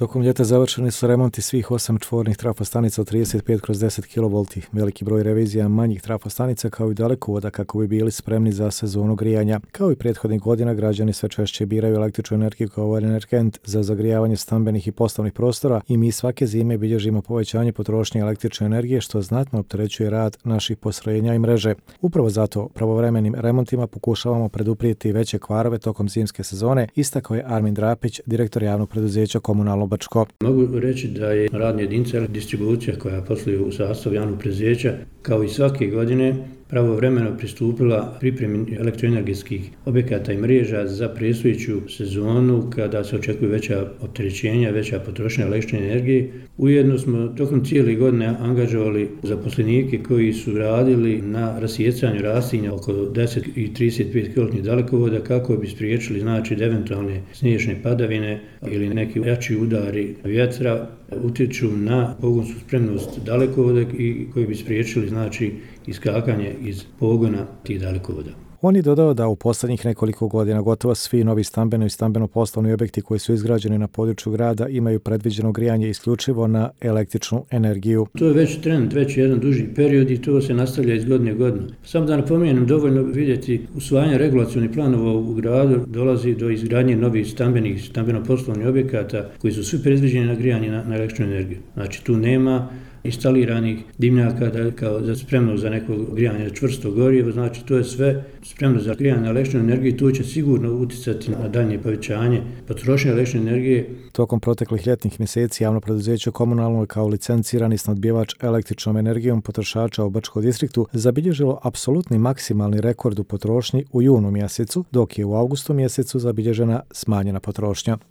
Tokom ljeta završeni su remonti svih 8 čvornih trafostanica od 35/10 kV, veliki broj revizija manjih trafostanica kao i dalekovoda kako bi bili spremni za sezonu grijanja. Kao i prethodnih godina, građani sve češće biraju električnu energiju kao energent za zagrijavanje stambenih i poslovnih prostora i mi svake zime bilježimo povećanje potrošnje električne energije što znatno opterećuje rad naših postrojenja i mreže. Upravo zato pravovremenim remontima pokušavamo preduprijeti veće kvarove tokom zimske sezone, istakao je Armin Drapić, direktor javnog preduzeća Komunalno Bačko. Mogu reći da je radna jedinica distribucija koja posluje u sastavu javnog preduzeća kao i svake godine pravovremeno pristupila pripremi elektroenergetskih objekata i mreža za predstojeću sezonu kada se očekuju veća opterećenja, veća potrošnja električne energije. Ujedno smo tokom cijele godine angažovali zaposlenike koji su radili na rasjecanju rastinja oko 10 i 35 kV dalekovoda kako bi spriječili eventualne sniješne padavine ili neki jači udari vjetra utječu na pogonsku spremnost dalekovoda i koji bi spriječili iskakanje iz pogona tih dalekovoda. On je dodao da u posljednjih nekoliko godina gotovo svi novi stambeno i stambeno-poslovni objekti koji su izgrađeni na području grada imaju predviđeno grijanje isključivo na električnu energiju. To je već trend, već jedan duži period i to se nastavlja iz godine u godinu. Samo da napomenem, dovoljno vidjeti usvajanje regulacionih planova u gradu dolazi do izgradnje novih stambenih, stambeno-poslovnih objekata koji su svi predviđeni na grijanje na električnu energiju. Znači tu nema instaliranih dimnjaka kao za spremno za neko grijanje čvrsto gorivo, znači to je sve spremno za grijanje na električnu energiju i to će sigurno utjecati na daljnje povećanje potrošnje električne energije. Tokom proteklih ljetnih mjeseci javno preduzeće Komunalno je kao licencirani snabdjevač električnom energijom potrošača u Bačkom distriktu zabilježilo apsolutni maksimalni rekord u potrošnji u junu mjesecu, dok je u avgustu mjesecu zabilježena smanjena potrošnja.